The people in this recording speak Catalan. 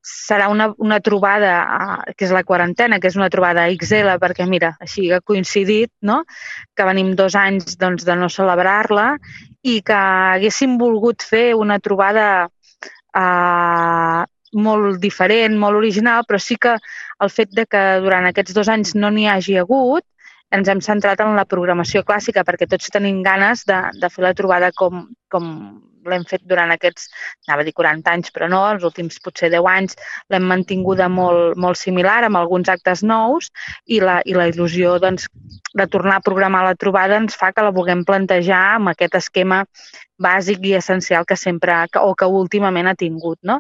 serà una trobada, que és la quarantena, que és una trobada XL, perquè mira, així ha coincidit, no? Que venim 2 anys doncs, de no celebrar-la i que haguéssim volgut fer una trobada molt diferent, molt original, però sí que el fet de que durant aquests 2 anys no n'hi hagi hagut, ens hem centrat en la programació clàssica perquè tots tenim ganes de fer la trobada com l'hem fet durant aquests, anava a dir 40 anys, però no, els últims potser 10 anys l'hem mantinguda molt, molt similar, amb alguns actes nous, i la il·lusió doncs, de tornar a programar la trobada ens fa que la vulguem plantejar amb aquest esquema bàsic i essencial que sempre, o que últimament ha tingut, no?